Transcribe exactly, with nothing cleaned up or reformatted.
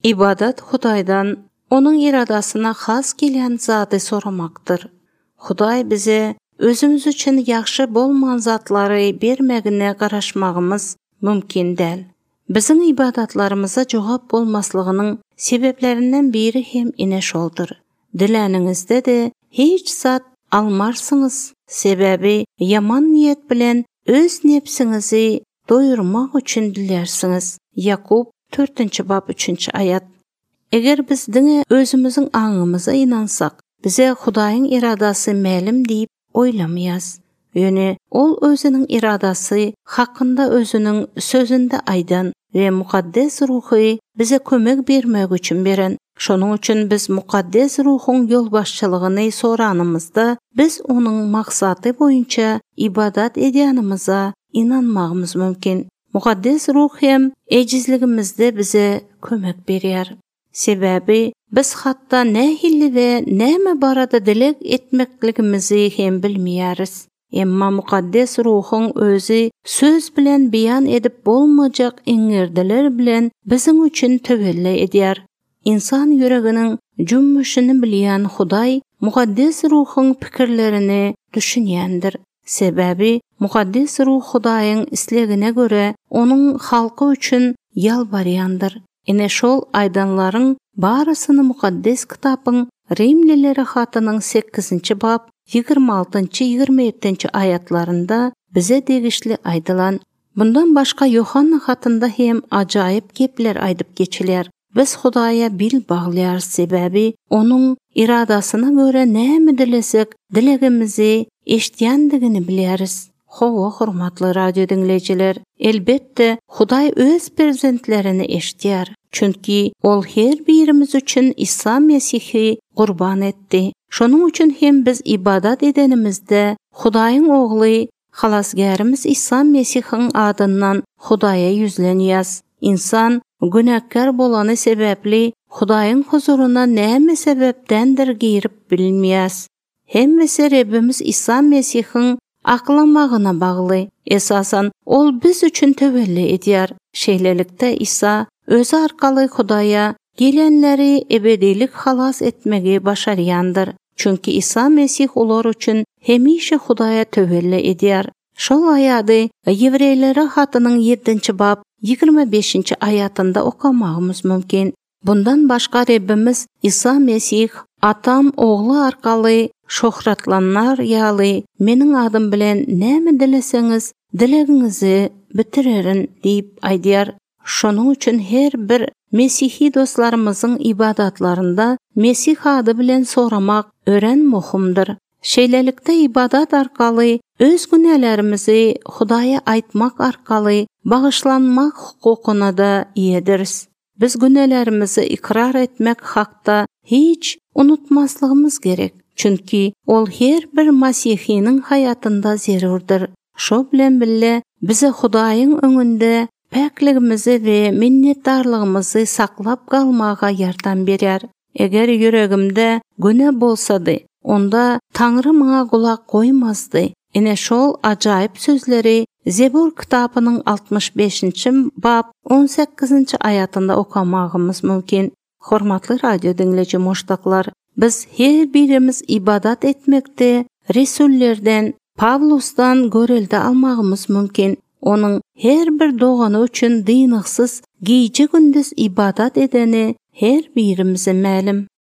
İbadat Hudaydan onun iradasına has gelen zatı soramakdır. Huday bize özümüz üçün yaxşı bolman zatları bermegine garaşmağımız mümkün değil. Bizim ibadatlarımıza cevap bolmaslığının sebeplerinden biri hem ine şoldur. Dileninizde de hiç zat almarsınız. Sebebi yaman niyet bilen öz nefsinizi doyurmak üçün dilersiniz. Yakub dördüncü bab üçüncü ayat. Eğer biz dine özümüzün anımıza inansak, bize Hudayın iradası ma'lum deyip oylamayız. Yani ol özünün iradası hakkında özünün sözünde aydan ve mukaddes ruhu bize kömek bermek üçün beren. Şonun üçün biz mukaddes ruhun yol başçılığını soranımızda biz onun maksatı boyunca ibadat edyanımıza inanmağımız mümkün. Mukaddes ruh hem ecizligimizde bize kömek berer. Sebebi biz hatta ne hilli ve näme barada dilek etmekligimizi hem bilmeyeriz. Emma mukaddes ruhun özü söz bilen beyan edip bolmayacak iňirdiler bilen bizim üçün tövelli eder. İnsan yüreginin cümmüşini bilen Huday mukaddes ruhun pikirlerini düşünýändir. Sebebi mukaddes ruh Hudayın islegine göre onun halkı üçün yalbaryandır. Ine şol aydanların barısını mukaddes kitabın Rimlilere hatının sekizinci bab yigirme altıncı yigirme yedinci ayatlarında bize degişli aydılan. Bundan başka Yohanna hatında hem acayip gepler aydıp geçiler. Biz Hudaya bil bağlayar sebebi onun iradasına göre näme dilesek dilegimizi eşitýändigini bileriz. Howa hormatly radio dinleyijiler, elbette Huday öz prezentlerini eşitýär. Çünki ol her birimiz üçün İsa Mesihi qurban etdi. Şonun üçün hem biz ibadat edenimizde Hudaýyň ogly, halasgarymız İsa Mesihiň adyndan Hudaya yüzlenýäs. İnsan günahkar bolany sebepli Hudaýyň huzuruna näme sebepdendir girip bilmeýäs. Hemmesi Rabbimiz İsa Mesihiň aklamagyna bagly. Esasan ol biz üçün tövelli edýär. Şeýlelikde İsa özü arkaly Hudaýa gelenleri ebedilik halas etmegi başarýandyr. Çünki İsa Mesih olar üçün hemişe Hudaýa tövelli edýär. Şol aýady Ýewreýlere hatynyň yedinci bab yigirme beşinci ayatında okamagymyz mümkin. Bundan başka Rabbimiz İsa Mesih atam ogly arkaly şöhratlanlar ýaly meniň adym bilen näme dileseňiz dilegiňizi bitirerin diýip aýdýar. Şonun üçün her bir Mesihi dostlarımızın ibadatlarında Mesih ady bilen soramak ören muhimdir. Şeýlelikde ibadat arkaly öz günälerimizi Hudaýa aýtmak arkaly bagyşlanmak hukukuna da iýediriz. Biz günälerimizi ikrar etmek hakda hiç unutmaslygymız gerek. Çünki ol her bir Mesihiniň hayatında zerurdur. Şo bilen bille bize Hudaýyň öňünde pakligimizi ve minnetdarlygymyzy saklap galmaga ýardam berýär. Eger yüregimde güne bolsady, onda Taňry maňa gulak goýmazdy. Ine şol ajaýyp sözleri Zebur kitabynyň altmış beşinci bab on sekizinci ayatında okamagymyz mümkin. Hormatly radio dinleýiji moşdaklar, biz her birimiz ibadat etmekde Resullerden, Pavlusdan görelde almagymyz mümkin. Onun her bir dogany üçün dynyksız gece gündüz ibadat edeni her birimize ma'lum.